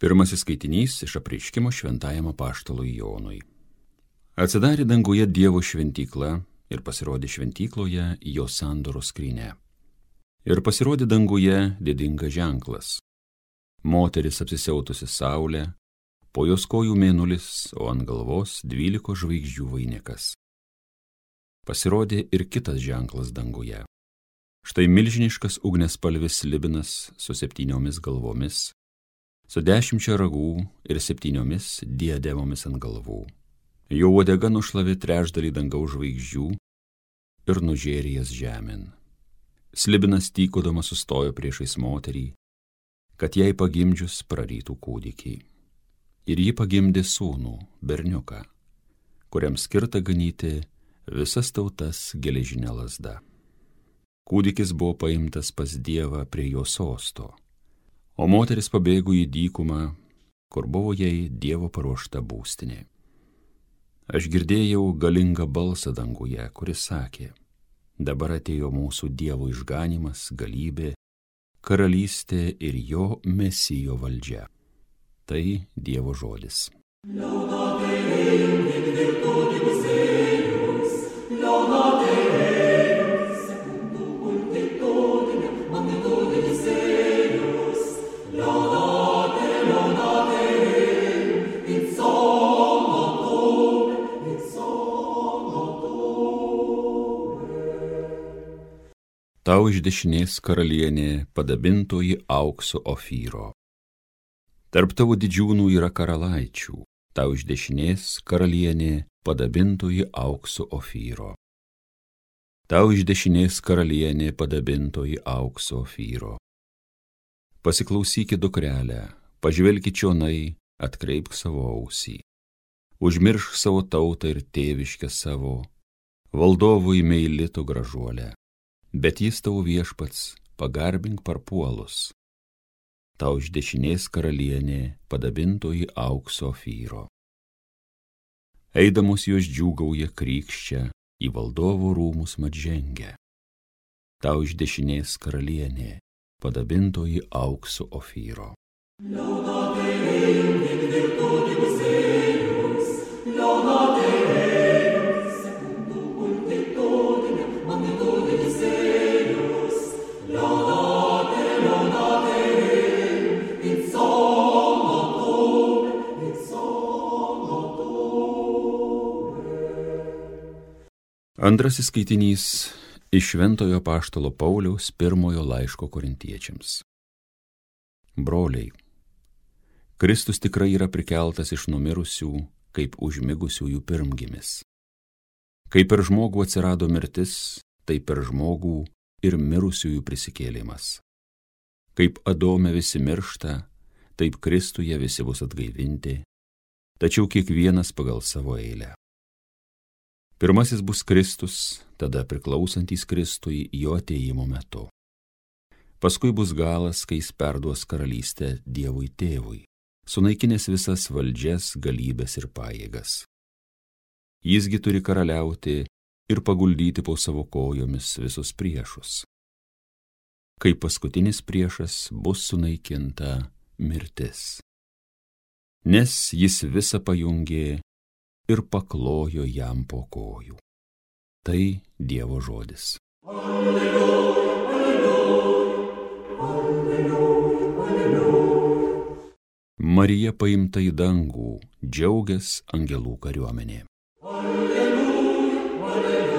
Pirmasis skaitinys iš apreiškimo šventajam apaštalui Jonui. Atsidarė danguje Dievo šventykla ir pasirodė šventykloje jo sandoros skrynia. Ir pasirodė danguje didingas ženklas. Moteris apsisiautusi saulę, po jos kojų mėnulis, o ant galvos 12 žvaigždžių vainikas. Pasirodė ir kitas ženklas danguje. Štai milžiniškas ugniaspalvis slibinas su 7 galvomis, su 10 ragų ir 7 diademomis ant galvų. Jo uodega nušlavė trečdalį dangaus žvaigždžių ir nužėrė jas žemėn. Slibinas tykodamas sustojo priešais moterį, kad jai pagimdžius prarytų kūdikį. Ir ji pagimdė sūnų, berniuką, kuriam skirta ganyti visas tautas geležinė lazda. Kūdikis buvo paimtas pas Dievą prie jo sosto, o moteris pabėgo į dykumą, kur buvo jai Dievo paruošta būstinė. Aš girdėjau galingą balsą danguje, kuris sakė: dabar atėjo mūsų Dievo išganymas, galybė, karalystė ir jo Mesijo valdžia. Tai Dievo žodis. Tau iš dešinės karalienė padabintoji aukso Ofyro. Tarp tavo didžiūnų yra karalaičių, tau iš dešinės karalienė padabintoji aukso Ofyro. Tau iš dešinės karalienė padabintoji aukso Ofyro. Pasiklausykit, dukrelę, pažvelkit čionai, atkreipk savo ausį. Užmiršk savo tautą ir tėviškę savo, valdovui meilito gražuolę. Bet jis tavo viešpats, pagarbink parpuolus. Tau iš dešinės karalienė padabintoji aukso Ofyro. Eidamos jos džiūgauja krykščia, į valdovų rūmus mat žengia. Tau iš dešinės karalienė padabintoji aukso Ofyro. Antrasis skaitinys iš Šventojo apaštalo Pauliaus pirmojo laiško korintiečiams. Broliai, Kristus tikrai yra prikeltas iš numirusių, kaip užmigusiųjų pirmgimis. Kaip per žmogų atsirado mirtis, taip per žmogų ir mirusiųjų prisikėlimas. Kaip Adome visi miršta, taip Kristuje visi bus atgaivinti, tačiau kiekvienas pagal savo eilę. Pirmasis bus Kristus, tada priklausantys Kristui jo atėjimo metu. Paskui bus galas, kai jis perduos karalystę Dievui Tėvui, sunaikinęs visas valdžias, galybes ir pajėgas. Jisgi turi karaliauti ir paguldyti po savo kojomis visus priešus. Kai paskutinis priešas bus sunaikinta mirtis. Nes jis visą pajungė ir paklojo jam po kojų. Tai Dievo žodis. Alleluja, alleluja, alleluja, alleluja. Marija paimta į dangų, džiaugias angelų kariuomenė. Alleluja, alleluja.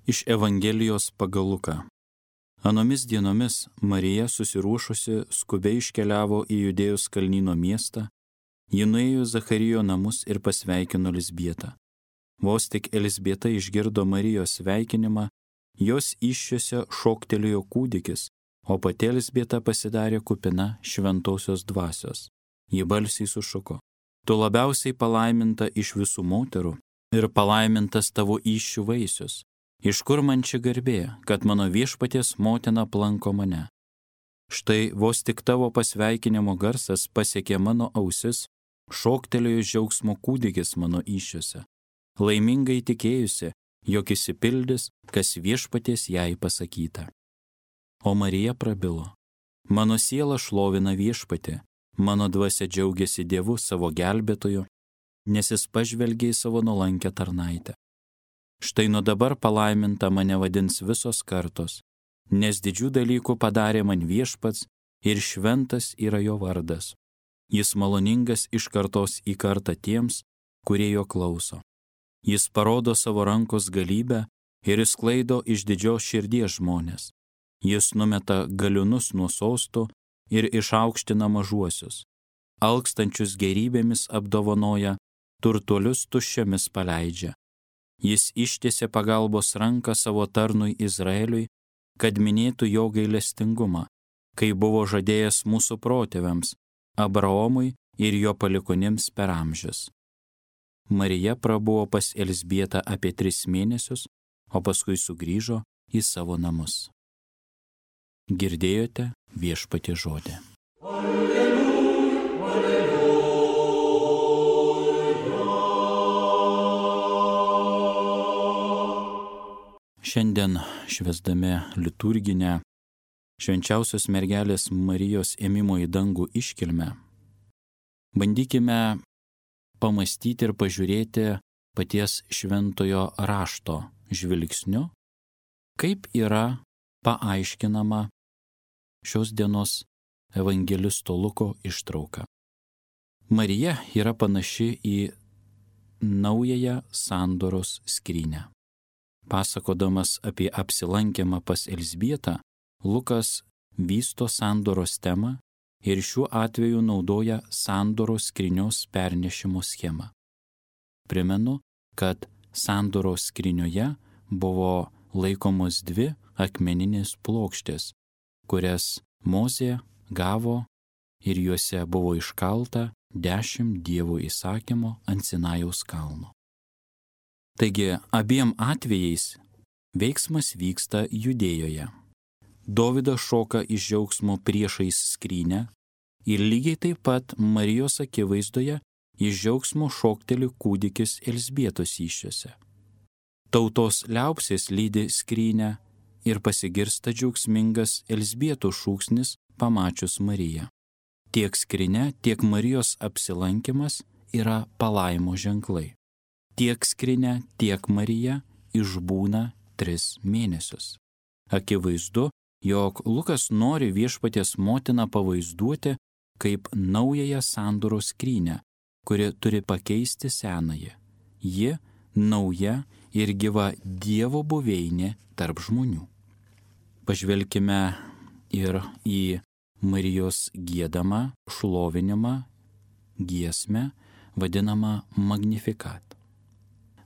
Iš Evangelijos pagal Luką. Anomis dienomis Marija susiruošusi skubiai iškeliavo į Judėjos kalnyno miestą, ji nuėjo į Zacharijo namus ir pasveikino Elizbietą. Vos tik Elizbieta išgirdo Marijos sveikinimą, jos įsčiose šoktelėjo kūdikis, o pati Elizbieta pasidarė kupina šventosios dvasios. Ji balsiai sušuko: tu labiausiai palaiminta iš visų moterų ir palaimintas tavo įsčių vaisius. Iš kur man ši garbė, kad mano viešpaties motina aplanko mane? Štai vos tik tavo pasveikinimo garsas pasiekė mano ausis, šoktelėjo džiaugsmo kūdikis mano įsčiose. Laimingai tikėjusi, jog išsipildys, kas viešpaties jai pasakyta. O Marija prabilo: Mano siela šlovina viešpatį, mano dvasia džiaugiasi Dievu savo gelbėtoju, nes jis pažvelgė į savo nuolankę tarnaitę. Štai nuo dabar palaiminta mane vadins visos kartos, nes didžių dalykų padarė man viešpats ir šventas yra jo vardas. Jis maloningas iš kartos į kartą tiems, kurie jo klauso. Jis parodo savo rankos galybę ir išsklaido iš didžios širdies žmonės. Jis numeta galiūnus nuo sostų ir išaukština mažuosius. Alkstančius gerybėmis apdovanoja, turtuolius tuščiomis paleidžia. Jis ištiesė pagalbos ranką savo tarnui Izraeliui, kad minėtų jo gailestingumą, kai buvo žadėjęs mūsų protėviams, Abraomui ir jo palikuonims per amžius. Marija prabuvo pas Elzbietą apie 3 mėnesius, o paskui sugrįžo į savo namus. Girdėjote viešpaties žodį. Šiandien švęsdami liturginę švenčiausios mergelės Marijos ėmimo į dangų iškilmę, bandykime pamastyti ir pažiūrėti paties šventojo rašto žvilgsniu, kaip yra paaiškinama šios dienos evangelisto Luko ištrauka. Marija yra panaši į naująją sandoros skrynę. Pasakodamas apie apsilankymą pas Elzbietą, Lukas vysto sandoros temą ir šiuo atveju naudoja sandoros skrynios pernešimo schemą. Primenu, kad sandoros skrynioje buvo laikomos 2 akmeninės plokštės, kurias Mozė gavo ir juose buvo iškalta 10 Dievo įsakymų ant Sinajaus kalno. Taigi, abiem atvejais veiksmas vyksta Judėjoje. Dovydas šoka iš džiaugsmo priešais skrynę ir lygiai taip pat Marijos akivaizdoje iš džiaugsmo šokteli kūdikis Elzbietos įsčiose. Tautos liaupsės lydi skrynę ir pasigirsta džiaugsmingas Elzbietos šūksnis pamačius Mariją. Tiek skrynia, tiek Marijos apsilankimas yra palaimo ženklai. Tiek skrynia, tiek Marija išbūna 3 mėnesius. Akivaizdu, jog Lukas nori viešpaties motiną pavaizduoti kaip naująją sandoros skrynę, kuri turi pakeisti senąją. Ji nauja ir gyva Dievo buveinė tarp žmonių. Pažvelkime ir į Marijos giedamą šlovinimą giesmę, vadinamą Magnificat.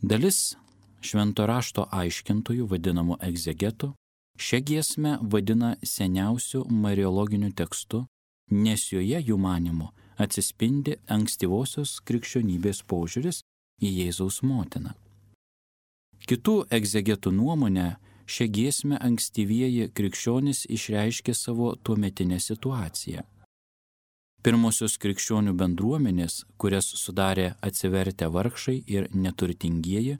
Dalis švento rašto aiškintojų, vadinamų egzegetų, šią giesmę vadina seniausiu mariologiniu tekstu, nes joje jų manymu atsispindi ankstyvosios krikščionybės požiūris į Jėzaus motiną. Kitų egzegetų nuomonę, šią giesmę ankstyvieji krikščionys išreiškė savo tuometinę situaciją. Pirmosios krikščionių bendruomenės, kurias sudarė atsivertę vargšai ir neturtingieji,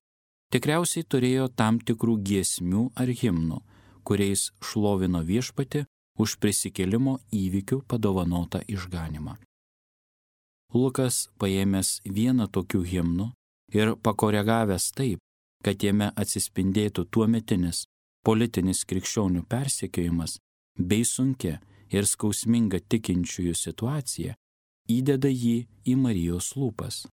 tikriausiai turėjo tam tikrų giesmių ar himnų, kuriais šlovino viešpatį už prisikėlimo įvykių padovanotą išganymą. Lukas, paėmęs vieną tokių himnų ir pakoregavęs taip, kad jame atsispindėtų tuometinis politinis krikščionių persekiojimas bei sunkia ir skausminga tikinčiųjų situacija, įdeda jį į Marijos lūpas.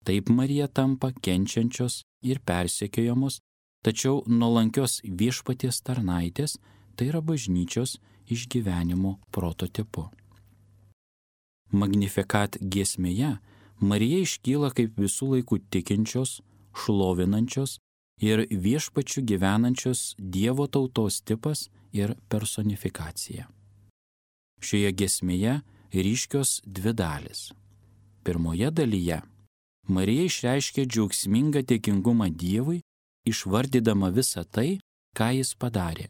Taip Marija tampa kenčiančios ir persekiojamos, tačiau nuolankios viešpaties tarnaitės, tai yra bažnyčios išgyvenimo prototipu. Magnificat giesmėje Marija iškyla kaip visų laikų tikinčios, šlovinančios ir viešpačiu gyvenančios Dievo tautos tipas ir personifikacija. Šioje giesmėje ryškios 2 dalys. Pirmoje dalyje Marija išreiškia džiaugsmingą dėkingumą Dievui, išvardydama visą tai, ką jis padarė.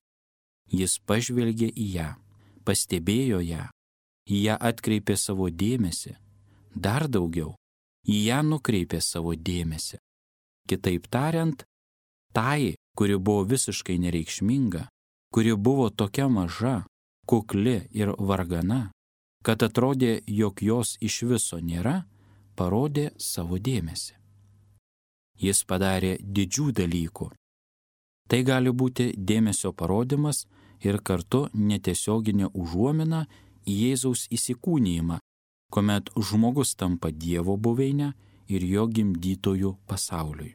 Jis pažvelgė į ją, pastebėjo ją, į ją atkreipė savo dėmesį, dar daugiau, į ją nukreipė savo dėmesį. Kitaip tariant, Tai, kuri buvo visiškai nereikšminga, kuri buvo tokia maža, kukli ir vargana, kad atrodė, jog jos iš viso nėra, parodė savo dėmesį. Jis padarė didžių dalykų. Tai gali būti dėmesio parodimas ir kartu netiesioginė užuomina į Jėzaus įsikūnijimą, kuomet žmogus tampa Dievo buveinę ir jo gimdytojų pasauliui.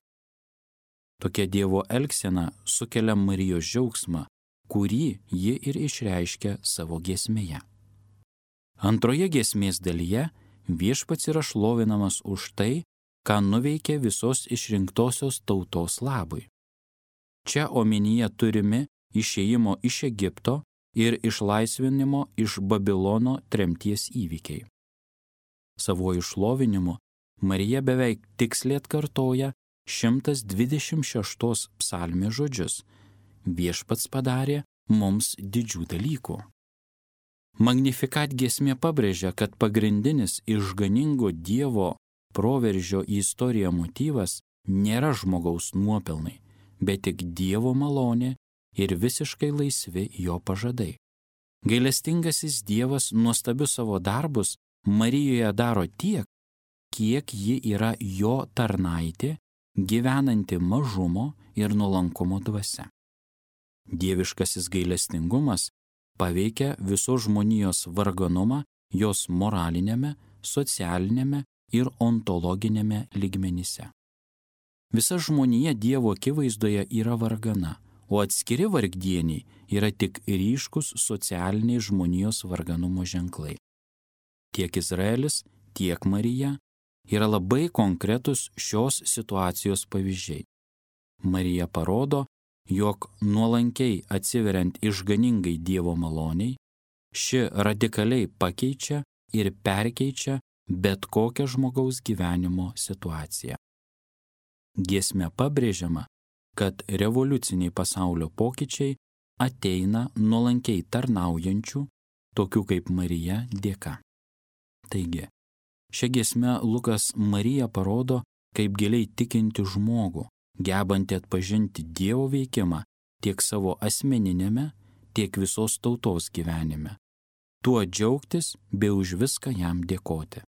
Tokia Dievo elgsena sukelia Marijos džiaugsmą, kurį ji ir išreiškia savo giesmėje. Antroje giesmės dalyje Viešpats yra šlovinamas už tai, ką nuveikė visos išrinktosios tautos labui. Čia omenyje turimi išėjimo iš Egipto ir išlaisvinimo iš Babilono tremties įvykiai. Savuoju šlovinimu Marija beveik tiksliai atkartoja 126 psalmės žodžius: Viešpats padarė mums didžių dalykų. Magnificat giesmė pabrėžia, kad pagrindinis išganingo Dievo proveržio į istoriją motyvas nėra žmogaus nuopelnai, bet tik Dievo malonė ir visiškai laisvi jo pažadai. Gailestingasis Dievas nuostabius savo darbus Marijoje daro tiek, kiek ji yra jo tarnaitė, gyvenanti mažumo ir nuolankumo dvasia. Dieviškasis gailestingumas paveikia visos žmonijos varganumą jos moralinėme, socialinėme ir ontologinėme lygmenyse. Visa žmonija Dievo akivaizdoje yra vargana, o atskiri vargdieniai yra tik ryškus socialiniai žmonijos varganumo ženklai. Tiek Izraelis, tiek Marija yra labai konkretus šios situacijos pavyzdžiai. Marija parodo, jog nuolankiai atsiveriant išganingai Dievo maloniai, ši radikaliai pakeičia ir perkeičia bet kokią žmogaus gyvenimo situaciją. Giesme pabrėžiama, kad revoliuciniai pasaulio pokyčiai ateina nuolankiai tarnaujančių, tokių kaip Marija, dėka. Taigi, šią giesmę Lukas Mariją parodo kaip giliai tikinti žmogų, gebantį atpažinti Dievo veikimą tiek savo asmeninėme, tiek visos tautos gyvenime, tuo džiaugtis bei už viską jam dėkoti.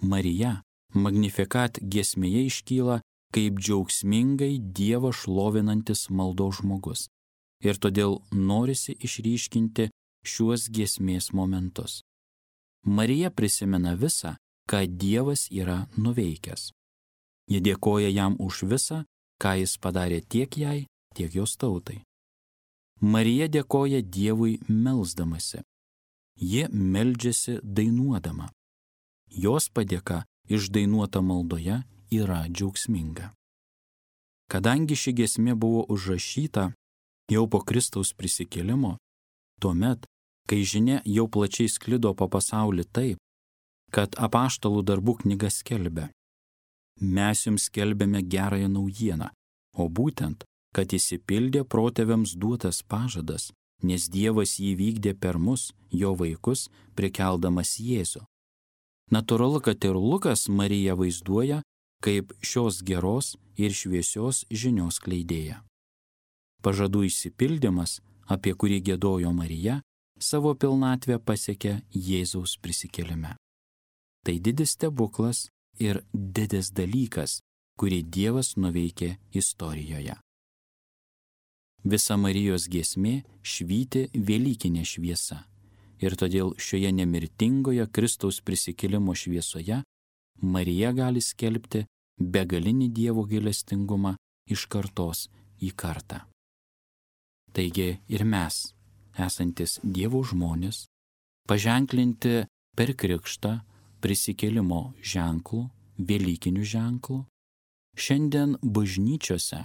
Marija Magnificat giesmėje iškyla kaip džiaugsmingai Dievą šlovinantis maldos žmogus ir todėl norisi išryškinti šiuos giesmės momentus. Marija prisimena visą, ką Dievas yra nuveikęs. Ji dėkoja jam už visą, ką jis padarė tiek jai, tiek jos tautai. Marija dėkoja Dievui melsdamasi. Ji meldžiasi dainuodama. Jos padėka išdainuota maldoje yra džiaugsminga. Kadangi ši giesmė buvo užrašyta jau po Kristaus prisikėlimo, tuomet, kai žinia jau plačiai sklido po pasaulį taip, kad apaštalų darbų knyga skelbia: Mes jums skelbėme gerąją naujieną, o būtent, kad išsipildė protėviams duotas pažadas, nes Dievas jį vykdė per mus, jo vaikus, prikeldamas Jėzų. Natūralu, kad ir Lukas Mariją vaizduoja kaip šios geros ir šviesios žinios skleidėja. Pažadų išsipildymas, apie kurį giedojo Marija, savo pilnatvę pasiekė Jėzaus prisikėlime. Tai didis stebuklas ir didis dalykas, kurį Dievas nuveikė istorijoje. Visa Marijos giesmė švyti velykinė šviesa ir todėl šioje nemirtingoje Kristaus prisikėlimo šviesoje Marija gali skelbti begalinį Dievo gailestingumą iš kartos į kartą. Taigi ir mes, esantis Dievo žmonės, paženklinti per krikštą prisikėlimo ženklų, velykinių ženklų, šiandien bažnyčiose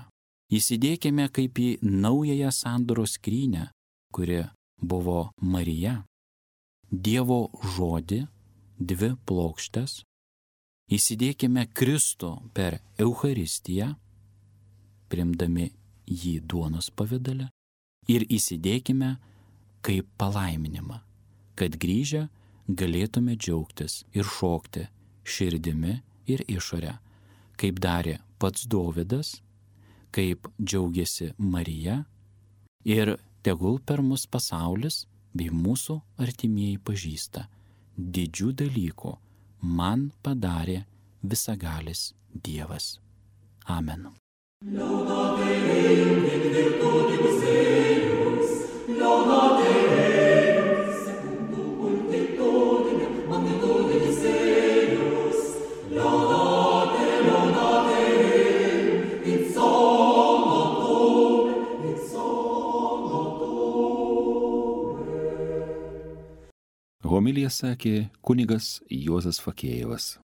įsidėkime kaip į naująją sandoros skrynią, kuri buvo Marija, Dievo žodį, 2 plokštės, įsidėkime Kristų per Eucharistiją, priimdami jį duonos pavidale, ir įsidėkime kaip palaiminimą, kad grįžę galėtume džiaugtis ir šokti širdimi ir išorę, kaip darė pats Dovydas, kaip džiaugiasi Marija, ir tegul per mus pasaulis bei mūsų artimieji pažįsta, didžių dalykų man padarė visagalis Dievas. Amen. Laudate Deum in virtutibus eius, laudate Deum secundum multitudinem magnitudinis eius, laudate Deum in somno tuum. Homiliją sakė kunigas Juozas Fakėjevas.